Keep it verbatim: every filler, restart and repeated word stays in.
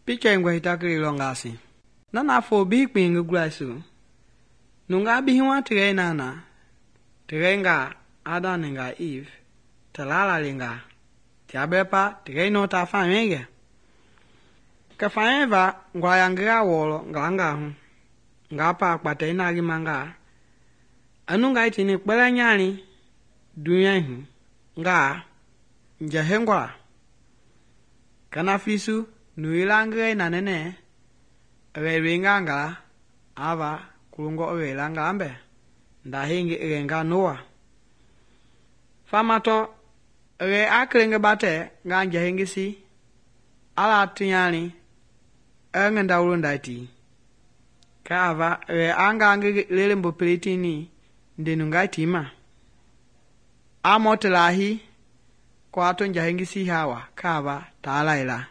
Picture ngwa hitakiri longasi. Nana fo bi kpingi gulaisu. Nunga bihiwa tigay nana. Tigaynga Adam nga Eve. Talala linga. Tiabrepa tigay no ta famenge. Ka fameva ngwa yangira wolo ngalanga hu. Ngapa kpate inagi manga. Anu nga itini kpele nyani dunya hu. Nga njehengwa. Kana fisu nuilangre na nene. Rewinga nga ava kulungo relanga ambe. Ndahingi renga Noah. Famato re aklenge bate nga njehengi si. Ala tinyani engenda ulundaiti. Ka ava re anga ngi lele mbopelitini ndenu ngai tima. Amotelahi kwa ato njehengi si hawa ka ava taala ila.